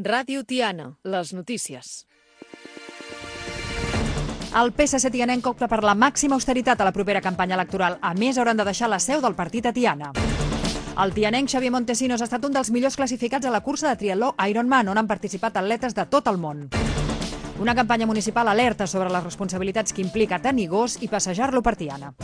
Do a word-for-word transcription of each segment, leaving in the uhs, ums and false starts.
Ràdio Tiana, les notícies. El P S C tianenc opta per la màxima austeritat a la propera campanya electoral. A més, hauran de deixar la seu del partit a Tiana. El tianenc Xavier Montesinos ha estat un dels millors classificats a la cursa de triatló Ironman, on han participat atletes de tot el món. Una campanya municipal alerta sobre les responsabilitats que implica tenir gos i passejar-lo per Tiana.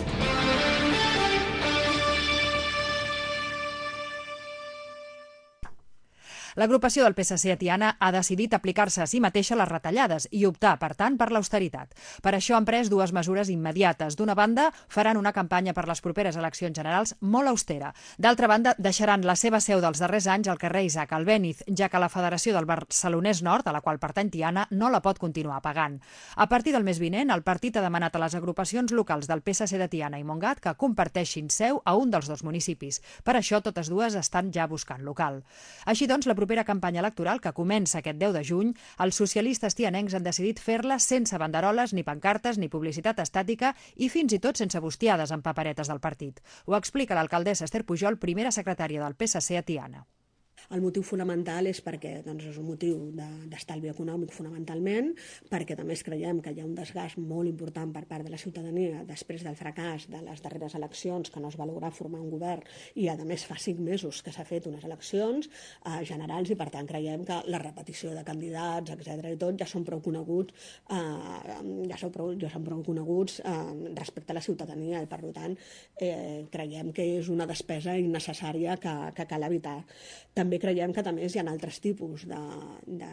L'agrupació del P S C a Tiana ha decidit aplicar-se a si mateixa les retallades i optar, per tant, per l'austeritat. Per això han pres dues mesures immediates. D'una banda, faran una campanya per les properes eleccions generals molt austera. D'altra banda, deixaran la seva seu dels darrers anys al carrer Isaac Albéniz, ja que la Federació del Barcelonès Nord, a la qual pertany Tiana, no la pot continuar pagant. A partir del mes vinent, el partit ha demanat a les agrupacions locals del P S C de Tiana i Montgat que comparteixin seu a un dels dos municipis. Per això, totes dues estan ja buscant local. Així doncs, la propera campanya electoral, que comença aquest deu de juny, els socialistes tianencs han decidit fer-la sense banderoles, ni pancartes, ni publicitat estàtica i fins i tot sense bustiades amb paperetes del partit. Ho explica l'alcaldessa Esther Pujol, primera secretària del P S C a Tiana. El motiu fonamental és perquè doncs, és un motiu d'estalvi econòmic fonamentalment, perquè també creiem que hi ha un desgast molt important per part de la ciutadania després del fracàs de les darreres eleccions, que no es va lograr formar un govern i a més fa cinc mesos que s'ha fet unes eleccions eh, generals i per tant creiem que la repetició de candidats, etcètera i tot ja són prou coneguts, eh, ja són prou, ja són prou coneguts eh, respecte a la ciutadania i per tant eh, creiem que és una despesa innecessària que, que cal evitar. També creiem que també hi ha altres tipus de, de,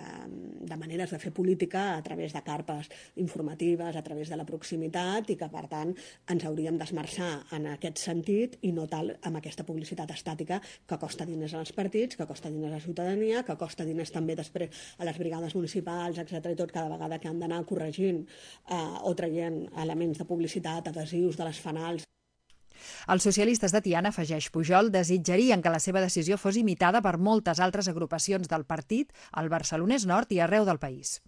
de maneres de fer política a través de carpes informatives, a través de la proximitat i que, per tant, ens hauríem d'esmerçar en aquest sentit i no tal amb aquesta publicitat estàtica que costa diners als partits, que costa diners a la ciutadania, que costa diners també després a les brigades municipals, etcètera i tot, cada vegada que han d'anar corregint eh, o traient elements de publicitat, adhesius de les fanals. Els socialistes de Tiana, afegeix Pujol, desitjarien que la seva decisió fos imitada per moltes altres agrupacions del partit al Barcelonès Nord i arreu del país.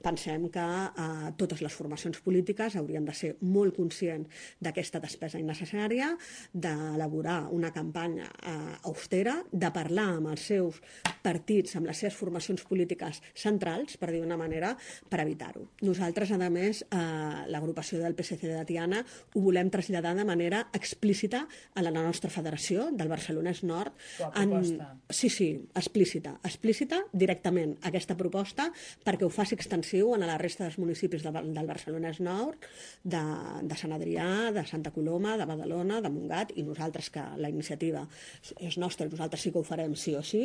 Pensem que eh, totes les formacions polítiques haurien de ser molt conscients d'aquesta despesa innecessària, d'elaborar una campanya eh, austera, de parlar amb els seus partits, amb les seves formacions polítiques centrals, per dir d'una manera, per evitar-ho. Nosaltres, a més, eh, l'agrupació del P S C de Tiana ho volem traslladar de manera explícita a la nostra federació del Barcelonès Nord. En... Sí, sí, explícita, explícita directament aquesta proposta perquè ho faci extensiu en la resta dels municipis de, del Barcelonès Nord, de, de Sant Adrià, de Santa Coloma, de Badalona, de Montgat, i nosaltres, que la iniciativa és nostra i nosaltres sí que ho farem sí o sí.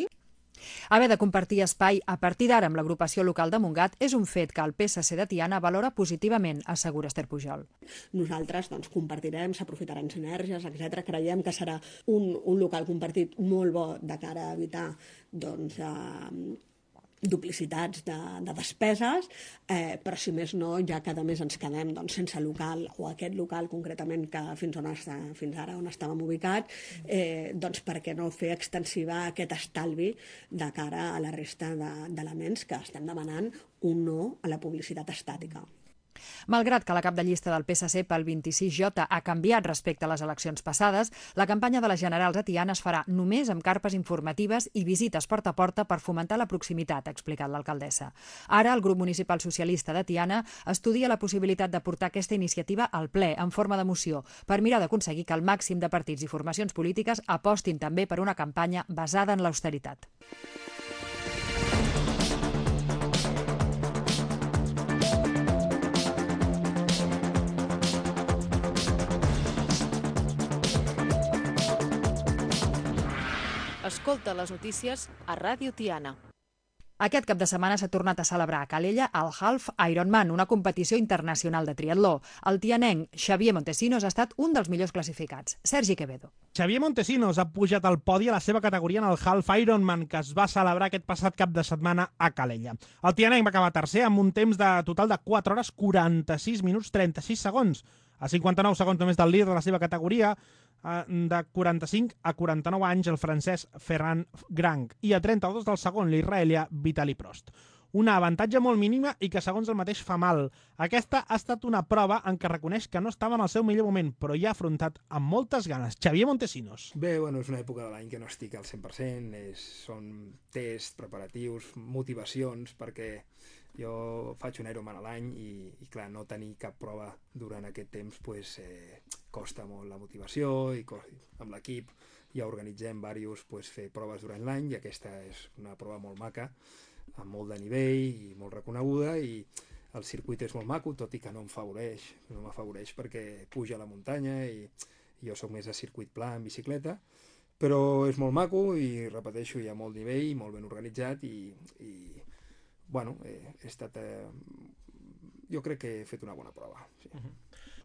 Haver de compartir espai a partir d'ara amb l'agrupació local de Montgat és un fet que el P S C de Tiana valora positivament, assegura Esther Pujol. Nosaltres doncs, compartirem, s'aprofitaran sinergies, etcètera. Creiem que serà un, un local compartit molt bo de cara a evitar doncs, eh, duplicitats de, de despeses, eh, però si més no, ja cada mes ens quedem doncs, sense local, o aquest local concretament que fins, on està, fins ara on estàvem ubicats, eh, doncs per què no fer extensiva aquest estalvi de cara a la resta d'elements que estem demanant un no a la publicitat estàtica. Malgrat que la cap de llista del P S C pel vint-i-sis J ha canviat respecte a les eleccions passades, la campanya de les generals a Tiana es farà només amb carpes informatives i visites porta a porta per fomentar la proximitat, ha explicat l'alcaldessa. Ara, el grup municipal socialista de Tiana estudia la possibilitat de portar aquesta iniciativa al ple en forma de moció per mirar d'aconseguir que el màxim de partits i formacions polítiques apostin també per una campanya basada en l'austeritat. Escolta les notícies a Ràdio Tiana. Aquest cap de setmana s'ha tornat a celebrar a Calella el Half Ironman, una competició internacional de triatló. El tianenc Xavier Montesinos ha estat un dels millors classificats. Sergi Quevedo. Xavier Montesinos ha pujat al podi a la seva categoria en el Half Ironman, que es va celebrar aquest passat cap de setmana a Calella. El tianenc va acabar tercer amb un temps de total de quatre hores quaranta-sis minuts trenta-sis segons, a cinquanta-nou segons només del líder de la seva categoria, de quaranta-cinc a quaranta-nou anys, el francès Ferran Grang, i a trenta-dos del segon, l'israelià Vitali Prost. una avantatge molt mínima i que segons el mateix fa mal. Aquesta ha estat una prova en què reconeix que no estava en el seu millor moment, però hi ha afrontat amb moltes ganes. Xavier Montesinos. Bé, bueno, és una època de l'any que no estic al cent per cent, és, són tests, preparatius, motivacions, perquè jo faig un Ironman a l'any i, i clar, no tenir cap prova durant aquest temps pues, eh, costa molt la motivació i amb l'equip ja organitzem diversos pues, fer proves durant l'any i aquesta és una prova molt maca, amb molt de nivell i molt reconeguda i el circuit és molt maco, tot i que no em favoreix, no m'afavoreix perquè puja a la muntanya i, i jo sóc més de circuit pla en bicicleta, però és molt maco i repeteixo, hi ha molt nivell, molt ben organitzat i, i bueno, he, he estat... Eh, jo crec que he fet una bona prova. Sí.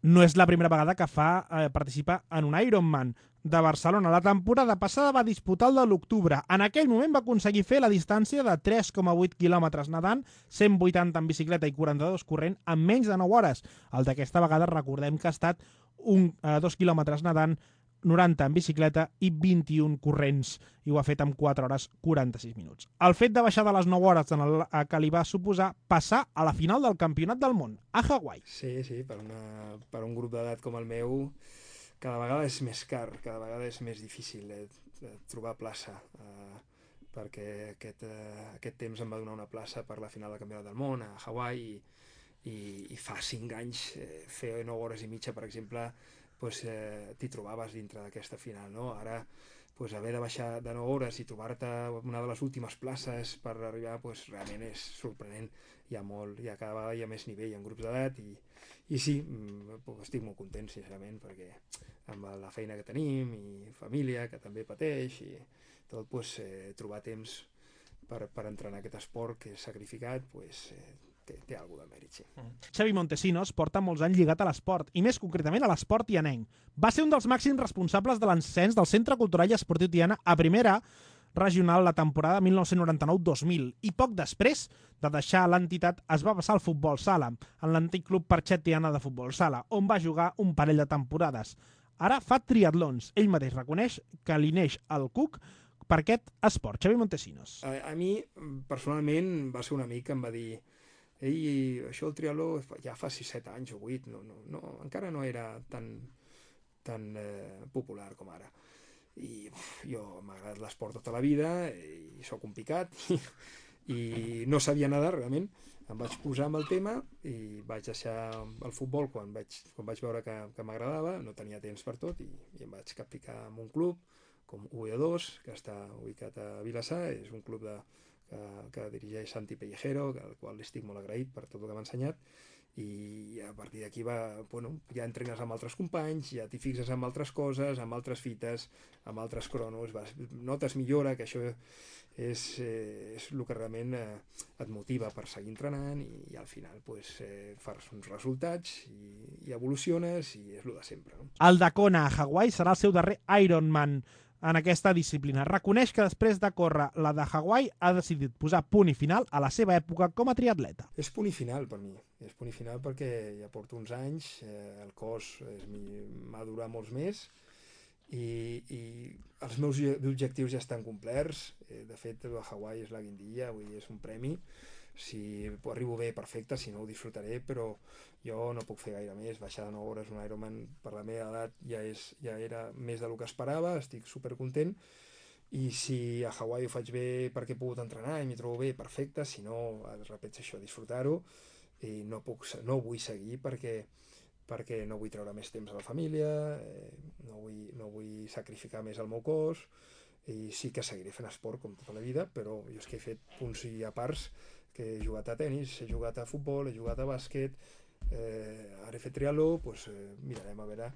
No és la primera vegada que fa eh, participar en un Ironman de Barcelona. La temporada passada va disputar el de l'octubre. En aquell moment va aconseguir fer la distància de tres coma vuit quilòmetres nedant, cent vuitanta en bicicleta i quaranta-dos corrent en menys de nou hores. El d'aquesta vegada recordem que ha estat un, eh, dos quilòmetres nedant, noranta en bicicleta i vint-i-un corrents, i ho ha fet en quatre hores quaranta-sis minuts. El fet de baixar de les nou hores en el que li va suposar passar a la final del Campionat del Món, a Hawaii. Sí, sí, per, una, per un grup d'edat com el meu, cada vegada és més car, cada vegada és més difícil eh, trobar plaça, eh, perquè aquest, eh, aquest temps em va donar una plaça per la final del Campionat del Món a Hawaii i, i, i fa cinc anys eh, fer nou hores i mitja, per exemple, pues, eh, t'hi trobaves dintre d'aquesta final, no? Ara, pues, haver de baixar de nou hores i trobar-te una de les últimes places per arribar, pues, realment és sorprenent. Hi ha molt, hi ha cada vegada hi ha més nivell en grups d'edat i, i sí, pues, estic molt content, sincerament, perquè amb la feina que tenim i família, que també pateix i tot, pues, eh, trobar temps per, per entrenar aquest esport que és sacrificat, pues, eh, té, té alguna de mèrit, sí. Xavi Montesinos porta molts anys lligat a l'esport, i més concretament a l'esport tianenc. Va ser un dels màxims responsables de l'ascens del Centre Cultural i Esportiu Tiana a primera regional la temporada mil nou-cents noranta-nou dos mil, i poc després de deixar l'entitat es va passar al futbol sala, en l'antic club Parxet Tiana de futbol sala, on va jugar un parell de temporades. Ara fa triatlons. Ell mateix reconeix que li neix el cuc per aquest esport. Xavi Montesinos. A, a mi, personalment, va ser un amic que em va dir ei, això el triatló ja fa sis set anys o vuit, no, no, no, encara no era tan, tan eh, popular com ara. I uf, jo m'ha agradat l'esport tota la vida i sóc un picat i, i no sabia nedar realment. Em vaig posar amb el tema i vaig deixar el futbol quan vaig, quan vaig veure que, que m'agradava, no tenia temps per tot i, i em vaig capficar en un club com U E dos, que està ubicat a Vilassar, és un club de que, que dirigeix Santi Pellejero, al qual estic molt agraït per tot el que m'ha ensenyat, i a partir d'aquí va, bueno, ja entrenes amb altres companys, ja t'hi fixes amb altres coses, amb altres fites, amb altres cronos, vas, notes millora, que això és, eh, és el que realment eh, et motiva per seguir entrenant i, i al final pues, eh, fas uns resultats i, i evoluciones i és el de sempre. No? El de Kona a Hawaii serà el seu darrer Ironman en aquesta disciplina. Reconeix que després de córrer la de Hawaii ha decidit posar punt i final a la seva època com a triatleta. És punt i final per mi, és punt i final perquè ja porto uns anys, eh, el cos m'ha durat molts més i, i els meus objectius ja estan complerts. Eh, de fet, a Hawaii és la guindilla, vull dir, és un premi. Si arribo bé, perfecte, si no ho disfrutaré, però jo no puc fer gaire més. Baixar de nou hores un Ironman per la meva edat ja, és, ja era més del que esperava, estic supercontent, i si a Hawaii ho faig bé perquè he pogut entrenar i m'hi trobo bé, perfecte, si no, repeteixo això, disfrutar-ho, i no, puc, no vull seguir perquè, perquè no vull treure més temps a la família, eh, no, vull, no vull sacrificar més el meu cos, i sí que seguiré fent esport com tota la vida, però jo és que he fet punts i a parts que he jugat a tennis, he jugat a futbol, he jugat a bàsquet, eh, ara he fet triatló, doncs eh, mirarem a veure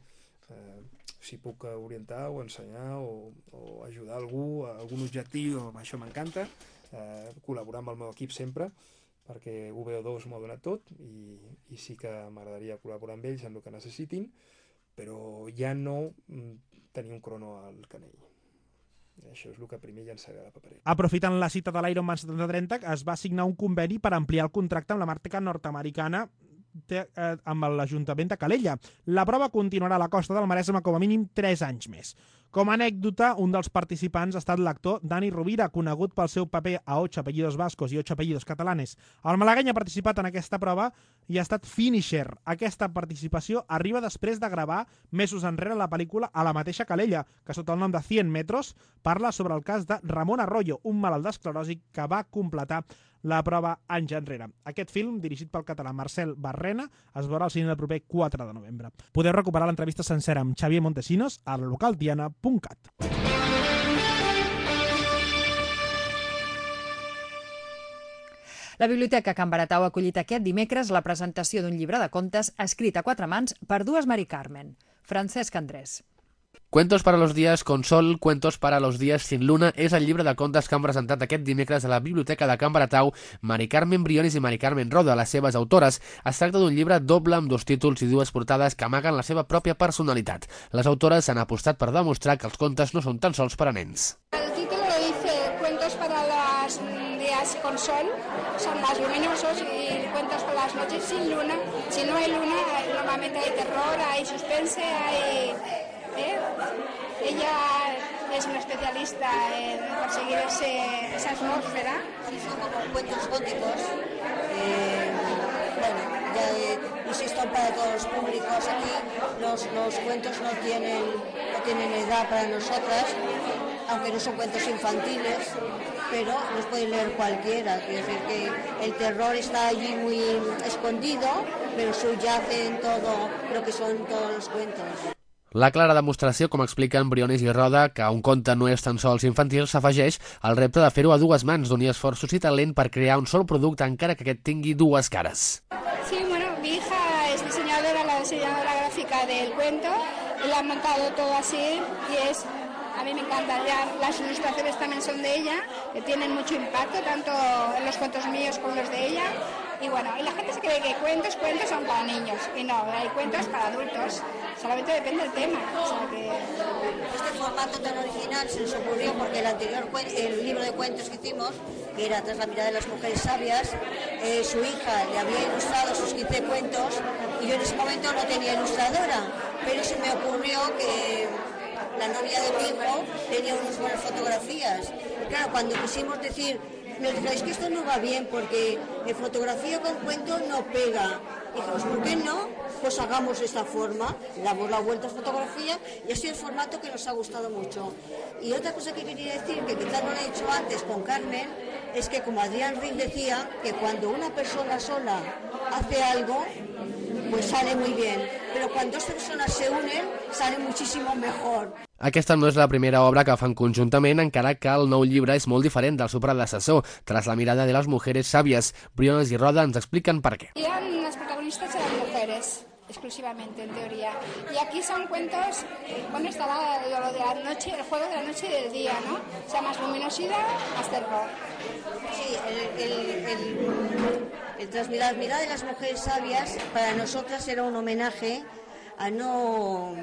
eh, si puc orientar o ensenyar o, o ajudar algú a algun objectiu, això m'encanta, eh, col·laborar amb el meu equip sempre, perquè U B O dos m'ho ha donat tot i, i sí que m'agradaria col·laborar amb ells en el que necessitin, però ja no tenir un crono al canell. Això és el que primer llançaré a la paperera. Aprofitant la cita de l'Ironman setanta trenta, es va signar un conveni per ampliar el contracte amb la marca nord-americana eh, amb l'Ajuntament de Calella. La prova continuarà a la costa del Maresme com a mínim tres anys més. Com a anècdota, un dels participants ha estat l'actor Dani Rovira, conegut pel seu paper a Ocho apellidos vascos i Ocho apellidos catalanes. El malagueny ha participat en aquesta prova i ha estat finisher. Aquesta participació arriba després de gravar mesos enrere la pel·lícula a la mateixa Calella, que sota el nom de cent metros parla sobre el cas de Ramon Arroyo, un malalt d'esclerosi que va completar la prova anys enrere. Aquest film, dirigit pel català Marcel Barrena, es veurà al cine el proper quatre de novembre. Podeu recuperar l'entrevista sencera amb Xavier Montesinos a localtiana punt cat. La Biblioteca Can Baratau ha acollit aquest dimecres la presentació d'un llibre de contes escrit a quatre mans per dues Mari Carmen. Francesc Andrés. Cuentos para los días con sol, cuentos para los días sin luna és el llibre de contes que han presentat aquest dimecres a la Biblioteca de Can Baratau Mari Carmen Briones i Mari Carmen Roda, les seves autores. Es tracta d'un llibre doble amb dos títols i dues portades que amaguen la seva pròpia personalitat. Les autores han apostat per demostrar que els contes no són tan sols per a nens. El título lo dice Cuentos para los días con sol, son más luminosos, y cuentos para las noches sin luna. Si no hay luna, normalmente hay terror, hay suspense, hay... ¿Eh? Ella es una especialista en conseguir ese, esa atmósfera. Sí, son como cuentos góticos. Eh, bueno, ya eh, insisto, para todos los públicos aquí, los, los cuentos no tienen, no tienen edad para nosotras, aunque no son cuentos infantiles, pero los puede leer cualquiera. Quiere decir que el terror está allí muy escondido, pero subyace en todo lo que son todos los cuentos. La clara demostració, com expliquen Briones i Roda, que un conte no és tan sols infantil, s'afegeix al repte de fer-ho a dues mans, d'unir esforços i talent per crear un sol producte, encara que aquest tingui dues cares. Sí, bueno, mi hija es diseñadora, la diseñadora gráfica del cuento, y la han montado todo así y es... A mí me encanta, ya las ilustraciones también son de ella, que tienen mucho impacto, tanto en los cuentos míos como los de ella. Y bueno, y la gente se cree que cuentos, cuentos son para niños, y no, hay cuentos para adultos, solamente depende del tema. O sea que... Este formato tan original se nos ocurrió porque el anterior el libro de cuentos que hicimos, que era Tras la mirada de las mujeres sabias, eh, su hija le había ilustrado sus quince cuentos y yo en ese momento no tenía ilustradora, pero se me ocurrió que la novia de mi hijo tenía unas buenas fotografías. Y claro, cuando quisimos decir, nos dijeron, es que esto no va bien porque en fotografía con cuento no pega. Y dijimos, ¿por qué no? Pues hagamos esta forma, le damos la vuelta a fotografía y ha sido el formato que nos ha gustado mucho. Y otra cosa que quería decir, que quizás no lo he dicho antes con Carmen, es que como Adrián Rick decía, que cuando una persona sola hace algo, pues sale muy bien, pero cuando dos personas se unen, sale muchísimo mejor. Aquesta no és la primera obra que fan conjuntament, encara que el nou llibre és molt diferent del seu predecessor. Tras la mirada de las mujeres sabias, Briones i Roda ens expliquen per què. Y eran las protagonistas eran mujeres, exclusivamente en teoría. Y aquí son cuentos, bueno, está la, lo de la noche, el juego de la noche y del día, ¿no? O sea, más luminosidad, más terror. Sí, el, el, el, el Tras la mirada de las mujeres sabias para nosotras era un homenaje a no...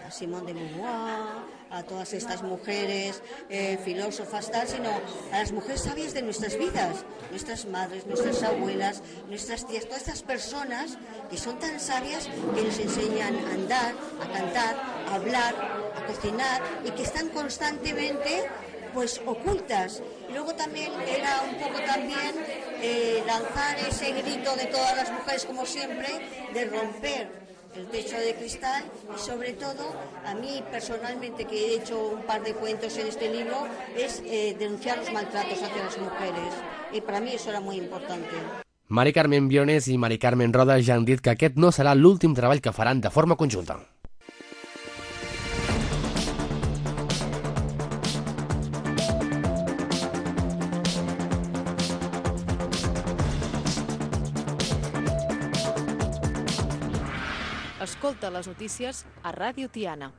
a Simone de Beauvoir, a todas estas mujeres eh, filósofas, tal, sino a las mujeres sabias de nuestras vidas, nuestras madres, nuestras abuelas, nuestras tías, todas estas personas que son tan sabias que nos enseñan a andar, a cantar, a hablar, a cocinar y que están constantemente pues ocultas. Y luego también era un poco también eh, lanzar ese grito de todas las mujeres, como siempre, de romper el techo de cristal y sobre todo, a mí personalmente, que he hecho un par de cuentos en este libro, es eh, denunciar los maltratos hacia las mujeres. Y para mí eso era muy importante. Mari Carmen Briones i Mari Carmen Roda ja han dit que aquest no serà l'últim treball que faran de forma conjunta. Escolta les notícies a Ràdio Tiana.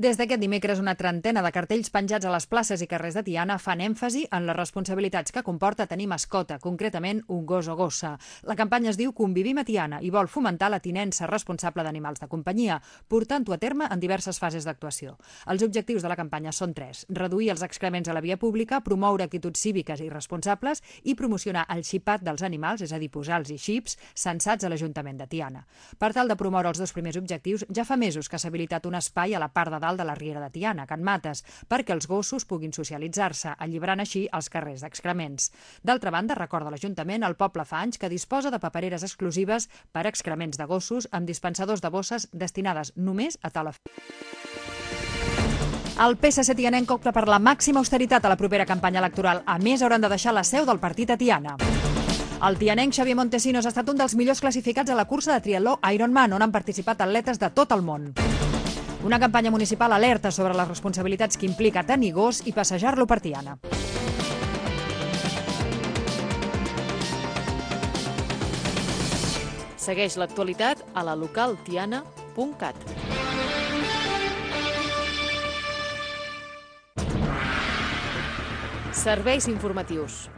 Des d'aquest dimecres, una trentena de cartells penjats a les places i carrers de Tiana fan èmfasi en les responsabilitats que comporta tenir mascota, concretament un gos o gossa. La campanya es diu Convivim a Tiana i vol fomentar la tinença responsable d'animals de companyia, portant-ho a terme en diverses fases d'actuació. Els objectius de la campanya són tres: reduir els excrements a la via pública, promoure actituds cíviques i responsables i promocionar el xipat dels animals, és a dir, posar-los i xips, censats a l'Ajuntament de Tiana. Per tal de promoure els dos primers objectius, ja fa mesos que s'ha habilitat un espai a la part de dalt de la Riera de Tiana, a Can Mates, perquè els gossos puguin socialitzar-se, alliberant així els carrers d'excrements. D'altra banda, recorda l'Ajuntament, el poble fa anys que disposa de papereres exclusives per excrements de gossos amb dispensadors de bosses destinades només a tal efecte. El P S C tianenc opta per la màxima austeritat a la propera campanya electoral. A més, hauran de deixar la seu del partit a Tiana. El tianenc Xavier Montesinos ha estat un dels millors classificats a la cursa de triatló Ironman, on han participat atletes de tot el món. Una campanya municipal alerta sobre les responsabilitats que implica tenir gos i passejar-lo per Tiana. Segueix l'actualitat a la local tiana punt cat. Serveis informatius.